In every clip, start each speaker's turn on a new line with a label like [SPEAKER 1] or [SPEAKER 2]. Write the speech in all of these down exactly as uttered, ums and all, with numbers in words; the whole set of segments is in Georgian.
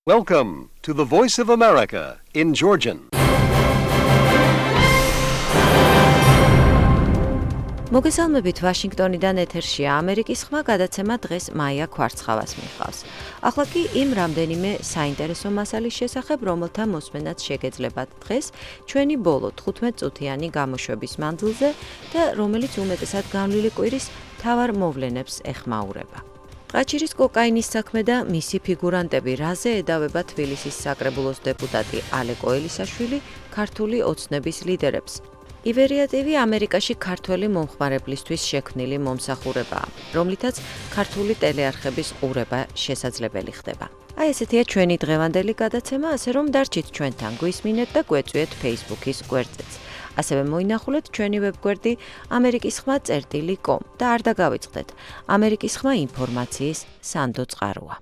[SPEAKER 1] Welcome to the Voice of America in Georgian.
[SPEAKER 2] მოგესალმებით ვაშინგტონიდან ეთერშია ამერიკის ხმა გადაცემა დღეს მაია ქვარცხავას მიჰყავს. ახლა კი იმ რამდენიმე საინტერესო მასალის შესახებ, რომელთა მოსმენაც შეგეძლებათ დღეს ჩვენი ბოლო თხუთმეტ-წუთიანი გამოშვების მანძილზე და რომელიც უმეტესად განვლილი კვირის მთავარ მოვლენებს ეხმაურება. ტყაჩირის კოკაინის საქმე და მისი ფიგურანტები რაზე ედავება თბილისის საკრებულოს დეპუტატი ალეკ ელისაშვილი ქართული ოცნების ლიდერებს. ივერია ტი ვი ამერიკაში ქართველი მომხმარებლისთვის შექმნილი მომსახურებაა, რომლითაც ქართული ტელეარხების ყურება შესაძლებელი ხდება. აი ესეთია ჩვენი დღევანდელი გადაცემა, ასე რომ დარჩით ჩვენთან, გვისმინეთ და გვეწვიეთ Facebook-ის გვერდზეც. ასევე მოინახულეთ ჩვენი ვებგვერდი ამერიკის ხმა წერტილი კომ და არ დაგავიწყდეთ, ამერიკის ხმა ინფორმაციის სანდო წყაროა.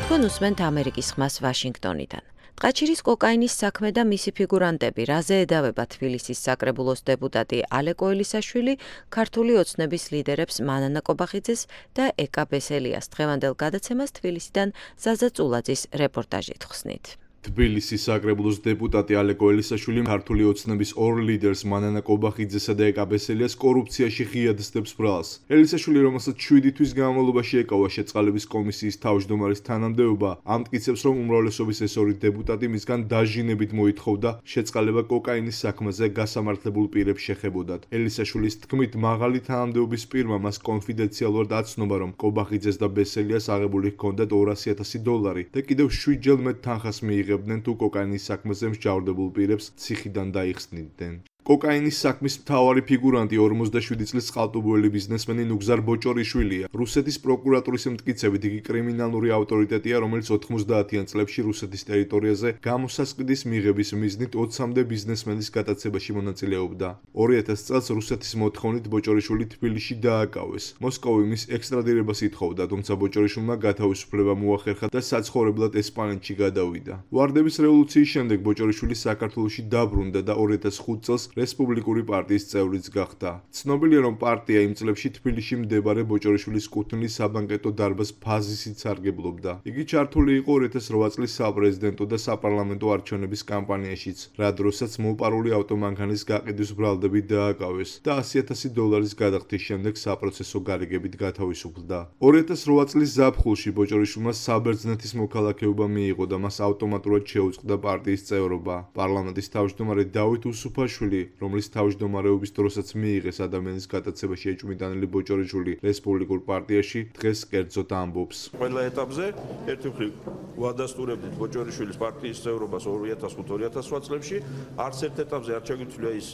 [SPEAKER 2] თქვენ უსმენთ ამერიკის ხმას ვაშინგტონიდან. ტყაჩირის კოკაინის საქმე და მისი ფიგურანტები რაზე ედავება თბილისის საკრებულოს დეპუტატი ალეკ ელისაშვილი ქართული ოცნების ლიდერებს მანანა კობახიძეს და ეკა ბესელიას დღევანდელ გადაცემას თბილისიდან ზაზა წულაძის რეპორტაჟით ხსნით.
[SPEAKER 3] თბილისის საკრებულოს დეპუტატი ალეკ ელისაშვილი ქართული ოცნების ორ ლიდერს მანანა კობახიძესა და ეკა ბესელიას კორუფციაში ღიად სდებს ბრალს. ელისაშვილი, რომელსაც შვიდი თვის განმავლობაში ეკავა შეწყალების კომისიის თავმჯდომარის თანამდებობა, ამტკიცებს, რომ უმრავლესობის ეს ორი დეპუტატი მისგან დაჟინებით მოითხოვდა შეწყალება კოკაინის საქმეზე გასამართლებულ პირებს შეხებოდათ. ელისაშვილის თქმით, მაღალი თანამდებობის პირმა მას კონფიდენციალურად აცნობა, რომ კობახიძეს და ბესელიას აღებული ჰქონდათ ორასი ათასი დოლარი და კიდევ შვიდჯერ მეტ თანხას მიიღებდნენ თუ კოკაინის საქმეზე მსჯავრდებულ პირებს ციხიდან დაიხსნიდნენ. კოკაინის საქმის მთავარი ფიგურანტი ორმოცდაშვიდი წლის წყალტუბოელი ბიზნესმენი ნუგზარ ბოჭორიშვილია. რუსეთის პროკურატურის მტკიცებით იგი კრიმინალური ავტორიტეტია, რომელიც ოთხმოცდაათიან წლებში რუსეთის ტერიტორიაზე გამოსასყიდის მიღების მიზნით ოცამდე ბიზნესმენის გატაცებაში მონაწილეობდა. ორი ათასი წელს რუსეთის მოთხოვნით ბოჭორიშვილი თბილისში დააკავეს. მოსკოვი მის ექსტრადირებას ითხოვდა, თუმცა ბოჭორიშვილმა გათავისუფლება მოახერხა და საცხოვრებლად ესპანეთში გადავიდა. ვარდების რევოლუციის შემდეგ ბოჭორიშვილი საქართველოში დაბრუნდა და ორი ათას ხუთ წელს რესპუბლიკური პარტიის წევრიც გახდა. ცნობილია, რომ პარტია იმ წლებში თბილისში მდებარე ბოჭორიშვილის კუთვნილის საბანკეტო დარბაზ ფაზისით სარგებლობდა. იგი ჩართული იყო ორი ათას რვა წლის საპრეზიდენტო და საპარლამენტო არჩევნების კამპანიაშიც, რა დროსაც მოპარული ავტომანქანის გაყიდვის ბრალდებით დააკავეს და ასი ათასი დოლარის გადახდის შემდეგ საპროცესო გარიგებით გათავისუფლდა. ორი ათას რვა წლის ზაფხულში ბოჭორიშვილმა საბერძნეთის მოქალაქეობა მიიღო და მას ავტომატურად შეუწყდა პარტიის წევრობა. პარლამენტის თავმჯდომარე დავით უსუფაშვილი, რომლის თავმჯდომარეობის დროსაც მიიღეს ადამიანის გატაცებაში ეჭვმიტანილი ბოჭორიშვილი რესპუბლიკურ პარტიაში, დღეს კერძოდ ამბობს.
[SPEAKER 4] ყველა ეტაპზე ერთი მხრივ ვადასტურებდით ბოჭორიშვილის პარტიის წევრობას ორი ათას ხუთ ორი ათას რვა წლებში, არც ერთ ეტაპზე არ ჩაგვიწვია ის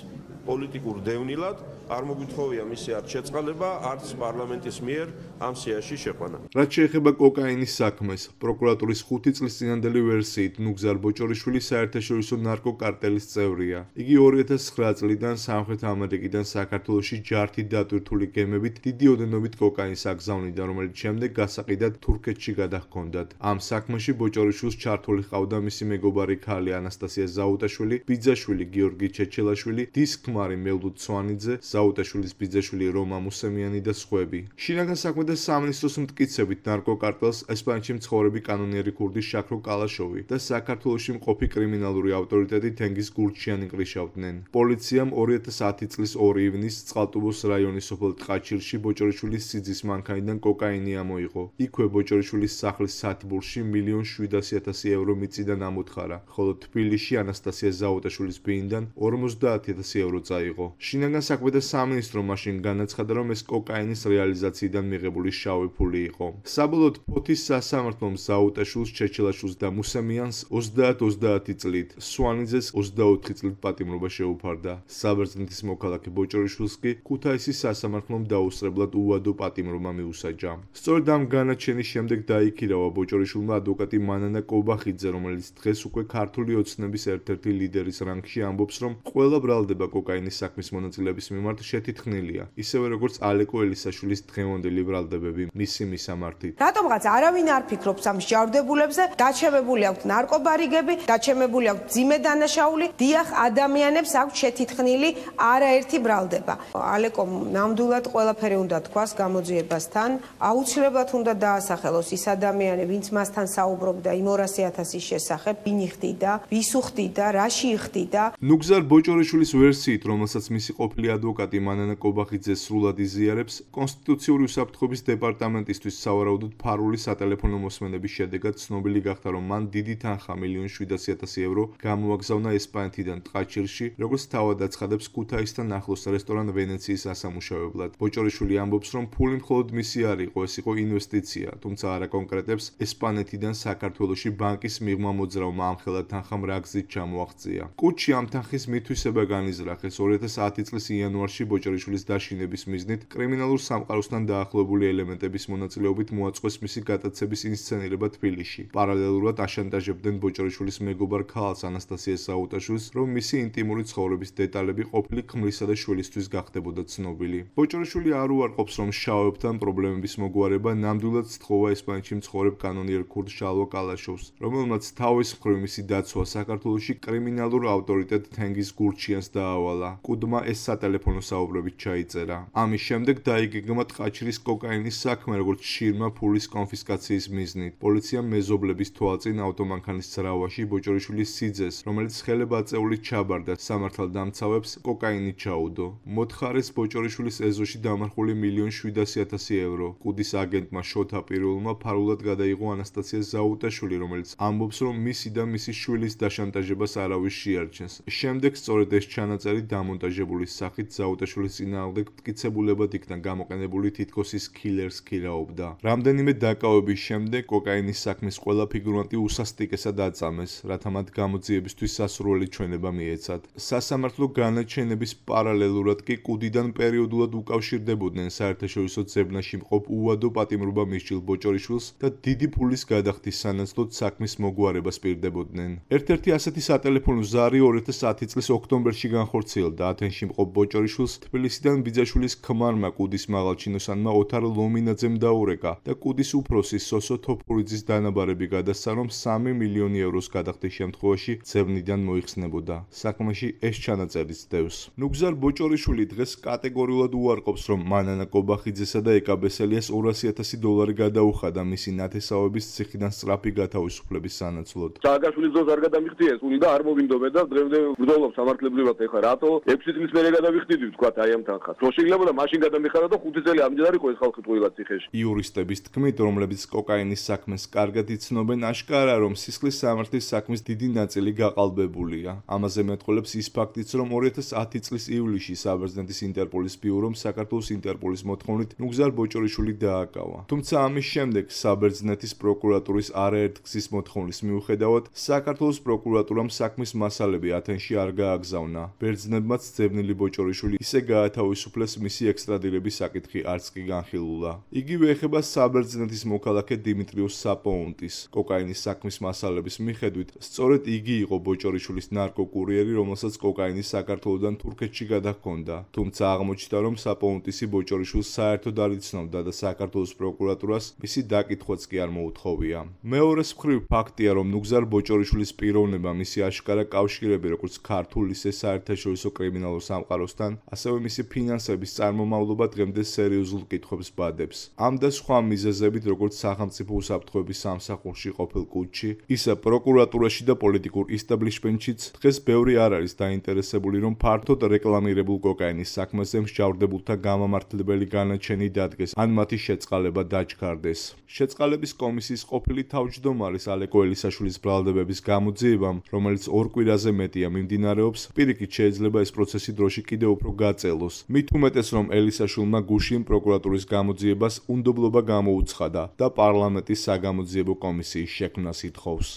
[SPEAKER 4] პოლიტიკურ დევნილად, არ მოგვითხოვია მისი არც შეწყალება, არც პარლამენტის მიერ ამ სიაში შეყვანა.
[SPEAKER 3] რაც შეეხება კოკაინის საქმეს, პროკურატურის ხუთი წლის წინანდელი ვერსიით ნუგზარ ბოჭორიშვილი საერთაშორისო ნარკოკარტელის წევრია. იგი ორი ათას ცხრა წლიდან სამხრეთ ამერიკიდან საქართველოში ჯართით დატვირთული გემებით დიდი ოდენობით კოკაინს აგზავნიდა, რომელიც შემდეგ გასაყიდად თურქეთში გადაჰქონდათ. ამ საქმეში ბოჭორიშვილს ჩართული ჰყავდა მისი მეგობარი ქალი ანასტასია ზაუტაშვილი, ბიძაშვილი გიორგი ჩეჩელაშვილი, დის ქმარი მელდუდ სვანიძე, ზაუტაშვილის ბიძაშვილი რომა მუსემიანი და სხვები. შინაგან საქმეთა სამინისტროს მტკიცებით ნარკოკარტელს ესპანეთში მცხოვრები კანონიერი ქურდი შაქრო კალაშოვი და საქართველოში მყოფი კრიმინალური ავტორიტეტი თენგიზ გურჩიანი კრიშავდნენ. პოლიციამ ორი ათას ათი წლის ორი ივნისს წყალტუბოს რაიონის სოფელ ტყაჩირში ბოჭორიშვილის სიძის მანქანიდან კოკაინი ამოიღო. იქვე ბოჭორიშვილის სახლის სათბურში მილიონ შვიდასი ათასი ევრო მიწიდან ამოთხარა, ხოლო თბილისში ანასტასია ზაუტაშვილის ბიინდან ორმოცდაათი ათასი ევრო წაიღო. შინაგან საქმეთა სამინისტრო მაშინ განაცხადა, რომ ეს კოკაინის რეალიზაციიდან მიღებული შავი ფული იყო. საბოლოოდ ფოთის სასამართლომ ზაუტაშვილს, ჩეჩელაშვილს და მუსემიანს ოცდაათ ოცდაათი წლით, სვანიძეს ოცდაოთხი წლით პატიმრობა შეუფარდა. საბერძნეთის მოქალაქე ბოჭორიშვილს კი ქუთაისის სასამართლომ დაუსწრებლად უვადო პატიმრობა მიუსაჯა. სწორედ ამ განაჩენის შემდეგ დაიქირავა ბოჭორიშვილმა ადვოკატი მანანა კობახიძე, რომელიც დღეს უკვე ქართული ოცნების ერთ-ერთი ლიდერის რანგში ამბობს, რომ ყველა ბრალდება კოკაინის კოკაინის საქმის მონაწილეების მიმართ შეთითხნილია, ისევე როგორც ალეკო ელისაშვილის დღევანდელი ბრალდებები მისი მისამართით.
[SPEAKER 5] რატომღაც არავინ არ ფიქრობს ამ მსჯავრდებულებზე, დაჩემებული აქვთ ნარკობარიგები, დაჩემებული აქვთ ძიმე დანაშაული, დიახ, ადამიანებს აქვთ შეთითხნილი არაერთი ბრალდება. ალეკომ ნამდვილად ყველაფერი უნდა თქვას გამოძიებასთან, აუცილებლად უნდა დაასახელოს ის ადამიანი, ვინც მასთან საუბრობდა იმ ორასი ათასის შესახებ, ვინ იხდიდა, ვის უხდიდა, რაში იხდიდა.
[SPEAKER 3] ნუგზარ ბოჭორიშვილის ვერსიით, რომელსაც მისი ყოფილი ადვოკატი მანანა კობახიძე სრულად იზიარებს, კონსტიტუციური უსაფრთხოების დეპარტამენტისთვის სავარაუდოდ ფარული სატელეფონო მოსმენების შედეგად ცნობილი გახდა, რომ მან დიდი თანხა მილიონ შვიდასი ათასი ევრო გამოაგზავნა ესპანეთიდან ტყაჩირში, როგორც თავად აცხადებს ქუთაისთან ახლოს რესტორან ვენეციის ასამუშავებლად. ბოჭორიშვილი ამბობს, რომ ფული მხოლოდ მისი არ იყო, ეს იყო ინვესტიცია, თუმცა არ აკონკრეტებს ესპანეთიდან საქართველოში ბანკის მიღმა მოძრავმა ამ ხელა თანხამ რა გზით ჩამოაღწია. კუჩი ამ თანხის მითვისება განიზრახეს ორი ათას ათი წლის იანვარში ბოჭორიშვილის დაშინების მიზნით კრიმინალურ სამყაროსთან დაახლოებული ელემენტების მონაწილეობით მოაწყვეს მისი გატაცების ინსცენირება თბილისში. პარალელურად აშანტაჟებდნენ ბოჭორიშვილის მეგობარ ქალს ანასტასიას საუტაშვილს, რომ მისი ინტიმური ცხოვრების დეტალები ყოფილი ქმრისა და შვილისთვის გახდებოდა ცნობილი. ბოჭორიშვილი არ უარყოფს, რომ შავებთან პრობლემების მოგვარება ნამდვილად სთხოვა ესპანეთში მცხოვრებ კანონიერ ქურდ შალვა კალაშოვს, რომელმაც თავის მხრივ მისი დაცვა საქართველოში კრიმინალურ ავტორიტეტ თენგიზ გურჩიანს დაავალა. კუდმა ეს სატელეფონო საუბრებით ჩაიწერა. ამის შემდეგ დაიგეგმა ტყაჩრის კოკაინის საქმე, როგორც შირმა ფულის კონფისკაციის მიზნით. პოლიციამ მეზობლების თვალწინ ავტომანქანის ძრავაში ბოჭორიშვილის სიძეს, რომელიც ხელებაწეულით ჩაბარდა სამართალდამცავებს, კოკაინი ჩაუდო. მოთხარეს ბოჭორიშვილის ეზოში დამარხული მილიონ შვიდასი ათასი ევრო. კუდის აგენტმა შოთა პირველმა ფარულად გადაიღო ანასტასია ზაუტაშვილი, რომელიც ამბობს, რომ მისი და მისი შვილის დაშანტაჟებას არავის შეარჩენს. შემდეგ სწორედ ეს ჩანაწერი დამონტაჟებული სახით ზაუტაშვილის წინააღმდეგ მტკიცებულებად იქნა გამოყენებული, თითქოს ის კილერს ქირაობდა. რამდენიმე დაკავების შემდეგ კოკაინის საქმის ყველა ფიგურანტი უსასტიკესად აწამეს, რათა მათ გამოძიებისთვის სასურველი ჩვენება მიეცათ. სასამართლო განაჩენების პარალელურად კი კუდიდან პერიოდულად უკავშირდებოდნენ საერთაშორისო ძებნაში მყოფ უადო პატიმრობა მისჯილ ბოჭორიშვილს და დიდი ფულის გადახდის სანაცვლოდ საქმის მოგვარებას პირდებოდნენ. ერთ-ერთი ასეთი სატელეფონო ზარი ორი ათას ათი წლის ოქტომბერში განხორციელდა. ათენში მყოფ ბოჭორიშვილს თბილისიდან ბიძაშვილის ქმარმა კუდის მაღალჩინოსანმა ოთარ ლომინაძემ დაურეკა და კუდის უფროსი სოსო თოფურიძის დანაბარები გადასცა, რომ სამი მილიონი ევროს გადახდის შემთხვევაში ძებნიდან მოიხსნებოდა. საქმეში ეს ჩანაწერიც დევს. ნუგზარ ბოჭორიშვილი დღეს კატეგორიულად უარყოფს, რომ მანანა კობახიძესა და ეკაბესელიას ორასი ათასი დოლარი გადაუხადა მისი ნათესავების ციხიდან სწრაფი გათავისუფლების სანაცვლოდ.
[SPEAKER 6] სააკაშვილის დროს არ გადამიხდიეს, უნდა არ მოვინდობენ და დღემდე ვბრძოლობ სამართლებრივად. ეხლა რატო ექვსი წლის მერე გადავიხდიდი თქვა აი ამ თანხას. რო შეიძლება მაშინ გადამიხარა და ხუთი წელი ამჯერ არ იყო ეს ხალხი ტყუილად ციხეში.
[SPEAKER 3] იურისტების თქმით, რომლებიც კოკაინის საქმეს კარგად იცნობენ, აშკარა რომ სისხლის სამართლის საქმის დიდი ნაწილი გაყალბებულია. ამაზე მეტყველებს ის ფაქტიც, რომ ორი ათას ათი წლის ივლისში საბერძნეთის ინტერპოლის ბიურომ საქართველოს ინტერპოლის მოთხოვნით ნუგზარ ბოჭორიშვილი დააკავა. თუმცა ამის შემდეგ საბერძნეთის პროკურატურის არაერთგზის მოთხოვნის მიუხედავად, საქართველოს პროკურატურამ საქმის მასალები ათენში არ გააგზავნა. ბერძნებმაც ძებნილი ბოჭორიშვილი ისე გაათავისუფლეს, მისი ექსტრადირების საკითხი არც კი განხილულა. იგივე ეხება საბერძნეთის მოქალაქე დიმიტრიოს საპოუნტის. კოკაინის საქმის მასალების მიხედვით, სწორედ იგი იყო ბოჭორიშვილის ნარკოკურიერი, რომელსაც კოკაინი საქართველოდან თურქეთში გადაჰქონდა. თუმცა აღმოჩნდა, რომ საპოუნტისი ბოჭორიშვილს საერთოდ არ იცნობდა და საქართველოს პროკურატურას მისი დაკითხვაც კი არ მოუთხოვია. მეორეს მხრივ ფაქტია, რომ ნუგზარ ბოჭორიშვილის პიროვნება, მისი აშკარა კავშირები როგორც ქართულ, ისე საერთაშორისო კრიმინალურ სამყაროსთან, ასევე მისი ფინანსების წარმომავლობა დღემდე სერიოზულ კითხვებს ბადებს. ამ და სხვა მიზეზებით, როგორც სახელმწიფო უსაფრთხოების სამსახურში ყოფილ კუჩში, ისე პროკურატურაში და პოლიტიკურ ისტაბლიშმენტშიც დღეს ბევრი არ არის დაინტერესებული, რომ ფართოდ რეკლამირებულ კოკაინის საქმეზე მსჯავრდებულთა გამამართლებელი განაჩენი დადგეს, ან მათი შეწყალება დაჩქარდეს. შეწყალების კომისიის ყოფილი თავმჯდომარის ალეკო ელისაშვილის ბრალდებების გამოძიებამ, რომელიც ორ კვირაზე მეტია მიმდინარეობს, პირიქით შეიძლება ეს პროცესი დროში კიდევ უფრო გაწელოს. მით უმეტეს, რომ ელისაშვილმა გუშინ პროკურატურის გამოძიებას უნდობლობა გამოუცხადა და პარლამენტის საგამოძიებო კომისიის შექმნას ითხოვს.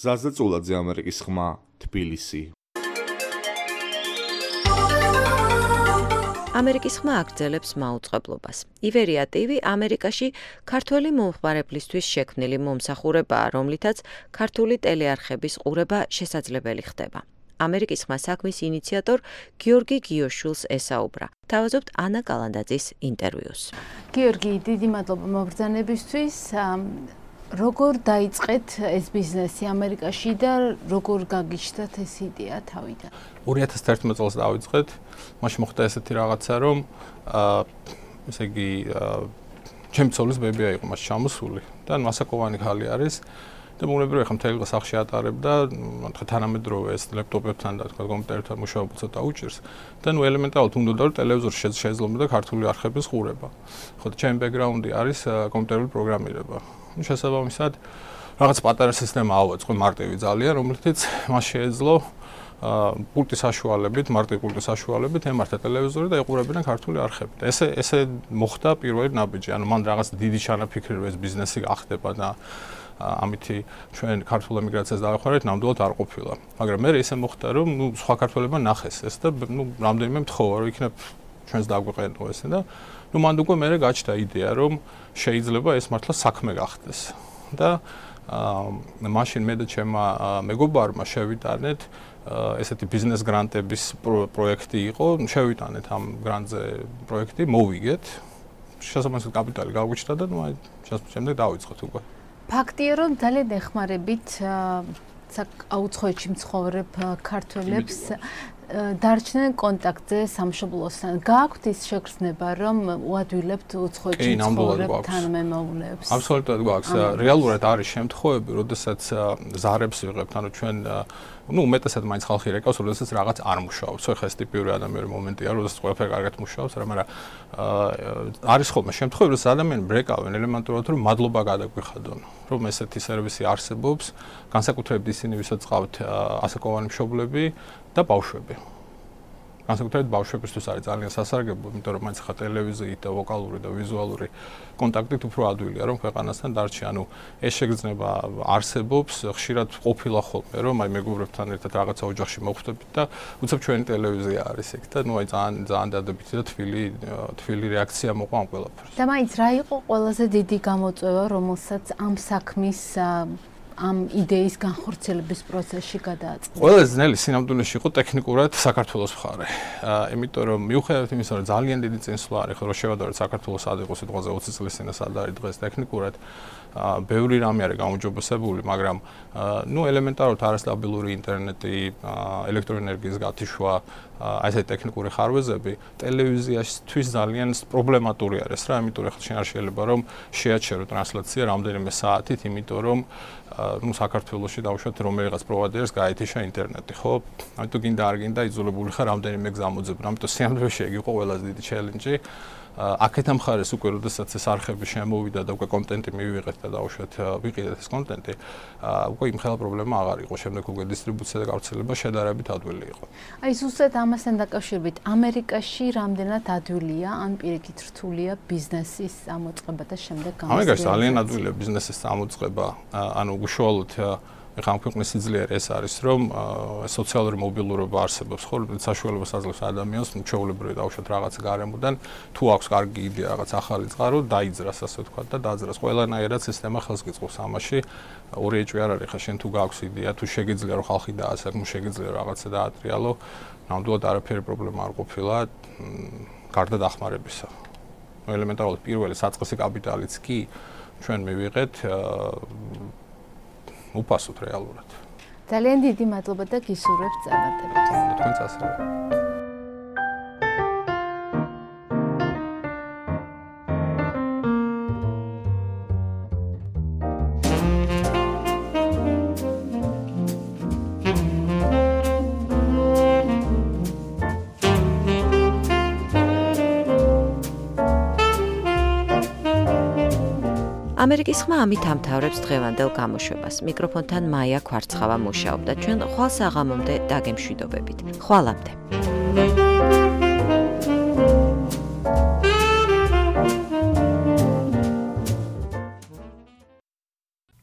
[SPEAKER 3] ზაზა წულაძე, ამერიკის ხმა, თბილისი.
[SPEAKER 2] ამერიკის ხმა აგრძელებს მაუწყებლობას. ივერია ტივი ამერიკაში ქართველი მომხმარებლისთვის შექმნილი მომსახურებაა, რომლითაც ქართული ტელეარხების ყურება შესაძლებელი ხდება. ამერიკის ხმა საქმის ინიციატორ გიორგი გიოშვილს ესაუბრა. თავაზობთ ანა კალანდაძის ინტერვიუს.
[SPEAKER 7] გიორგი, დიდი მადლობა მობრძანებისთვის. როგორ დაიწყეთ ეს ბიზნესი ამერიკაში და როგორ გაგიჩნდათ ეს იდეა თავიდან?
[SPEAKER 8] ორი ათას თერთმეტ წელს დავიწყეთ. მაშინ მოხდა ესეთი რაღაცა, რომ აა ესე იგი ჩემი ცოლის ბებია იყო მას ჩამოსული და მასაკოვანი ხალი არის და მოგნებრივია ხა მთელი დღე სახლში ატარებდა, თქვა თანამედროვე ეს ლეპტოპებთან და თქვა კომპიუტერთან მუშაობა ცოტა უჭირს და ნუ ელემენტარულად უნდა რომ ტელევიზორში შეძლო ქართული არხების ყურება. ხო და ჩემი ბექგრაუნდი არის კომპიუტერული პროგრამირება. ნუ შესაბამისად რაღაც პატარა სისტემა ავაწყო მარტივი ძალიან, რომლითაც მას შეეძლო პულტის საშუალებით, მარტივი პულტის საშუალებით ემართა ტელევიზორი და ეყურებინა ქართული არხები. და ესე ესე მოხდა პირველი ნაბიჯი. ანუ მან რაღაც დიდი ჩანაფიქრი რომ ეს ბიზნესი გახდება და ამითი ჩვენ ქართულ ემიგრაციას დავეხმარეთ, ნამდვილად არ ყოფილა. მაგრამ მე ესე მოხდა რომ ნუ სხვა ქართველებმა ნახეს ეს და ნუ რამდენიმე მთხოვა რომ იქნებ ჩვენს დაგვეყენო ესე და ნუ მანდ უკვე მე გაჩნდა იდეა რომ შეიძლება ეს მართლა საქმე გახდეს. და აა მაშინ მე და ჩემმა მეგობარმა შევიტანეთ ესეთი ბიზნეს გრანტების პროექტი იყო, შევიტანეთ ამ გრანტზე პროექტი, მოვიგეთ. შესაბამისად კაპიტალი გავგვიჩნდა და ნუ აი შემდეგ დავიწყოთ უკვე.
[SPEAKER 7] ფაქტია რომ ძალიან ეხმარებით აუცხოვეთში მცხოვრებ ქართველებს დარჩნენ კონტაქტზე სამშობლოსთან. გააქვთ ის შეგრძნება რომ უადვილებთ უცხოეთში მცხოვრებ თანამემამულეებს?
[SPEAKER 8] აბსოლუტურად გვაქვს. რეალურად არის შემთხვევები, როდესაც ზარებს ვიღებთ, ანუ ჩვენ ну, უმეტესად მაინც ხალხი რეკავს, როდესაც რაღაც არ მუშაობს. ხო, ხა ეს ტიპიური ადამიანური მომენტია, როდესაც ყველაფერი კარგად მუშაობს, მაგრამ არის ხოლმე შემთხვევები, რომ ადამიანები ბრეკავენ ელემენტარულად, რომ მადლობა გადაგვიხადონ, რომ ესეთი სერვისი არსებობს, განსაკუთრებით ისინი, ვისაც ყავთ ასაკოვანი მშობლები და ბავშვები. განსაკუთრებით ბავშვებისთვის არის ძალიან სასარგებლო, იმიტომ რომ მაინც ხა ტელევიზიით და ვოკალური და ვიზუალური კონტაქტით უფრო ადვილია რომ ქვეყანასთან დარჩი. ანუ ეს შეგრძნება არსებობს, ხშირად ყოფილა ხოლმე რომ აი მეგობრებთან ერთად რაღაცა ოჯახში მოხვდებით და უცებ ჩვენი ტელევიზია არის ეგ და ნუ აი ძალიან ძალიან დადებითი და თბილი თბილი რეაქცია მოყვა ამ ყველაფერს.
[SPEAKER 7] და მაინც რა იყო ყველაზე დიდი გამოწვევა, რომელსაც ამ საქმის ამ იდეის განხორციელების პროცესში გადააწყდა?
[SPEAKER 8] ყველაზე ძნელი სინამდვილეში იყო ტექნიკურად საქართველოს მხარე. აა, იმიტომ რომ მიუხედავად იმისა, რომ ძალიან დიდი წინსვლა არის, ხო, რომ შევადაროთ საქართველოს სად იყო სიტყვაზე ოცი წლის წინ და სად არის დღეს ტექნიკურად, აა, ბევრი რამე არის გაუმჯობესებული, მაგრამ აა, ნუ ელემენტარულად არასტაბილური ინტერნეტი, აა, ელექტროენერგიის გათიშვა, აი ესეთი ტექნიკური ხარვეზები ტელევიზიაშთვის ძალიან პრობლემატური არის რა, იმიტომ რომ ხალხი არ შეიძლება რომ შეაჩერო ტრანსლაცია რამდენიმე საათით, იმიტომ რომ ну საქართველოში დავუშვათ რომელიღაც პროვაიდერს გაეთიშა ინტერნეტი, ხო? ამიტომ გინდა არ გინდა იძულებული ხარ რამდენიმე გზამოძებნა. ამიტომ სიამოვნებაში ეგ იყო ყველაზე დიდი ჩელენჯი. აქეთა მხარეს უკვე როდესაც ეს არხები შემოვიდა და უკვე კონტენტი მივიღეთ და დავუშვათ ვიყიდეთ ეს კონტენტი, უკვე იმ ხელა პრობლემა აღარ იყო. შემდეგ უკვე დისტრიბუცია და გავრცელება შედარებით ადვილი იყო.
[SPEAKER 7] აი ზუსტად ამასთან დაკავშირებით, ამერიკაში რამდენად ადვილია ან პირიქით რთულია ბიზნესის წამოწყება და შემდეგ გამოსვლელი?
[SPEAKER 8] ამერიკაში ძალიან ადვილია ბიზნესის წამოწყება, ანუ უშუალოდ ეხლა ამ ქვეყნის სიძლიერე ეს არის, რომ სოციალური მობილურობა არსებობს, ხო, საშუალებას აძლევს ადამიანს ჩვეულებრივი დავუშვათ რაღაც გარემოდან, თუ აქვს კარგი იდეა, რაღაც ახალი წყარო, დაიძრას, ასე ვთქვათ და დაძრას. ყველანაირად სისტემა ხელს გიწყობს ამაში. ორი ეჭვი არ არის, ხა შენ თუ გაქვს იდეა, თუ შეგიძლია რომ ხალხი დაასაკმო, შეგიძლია რაღაცა დაატრიალო, ნამდვილად არაფერი პრობლემა არ ყოფილა, გარდა დახმარებისა. ელემენტარულად პირველი საწყისი კაპიტალიც კი ჩვენ მივიღეთ უპასუხოთ რეალურად.
[SPEAKER 7] ძალიან დიდი მადლობა და გისურვებთ წარმატებას.
[SPEAKER 8] თქვენც ასევე.
[SPEAKER 2] ამერიკის ხმა ამით ამთავრებს დღევანდელ გამოშვებას. მიკროფონთან მაია ქვარცხავა მუშაობდა. ჩვენ ხვალ საღამომდე დაგემშვიდობებით. ხვალამდე.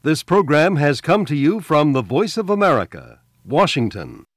[SPEAKER 1] This program has come to you from the Voice of America, Washington.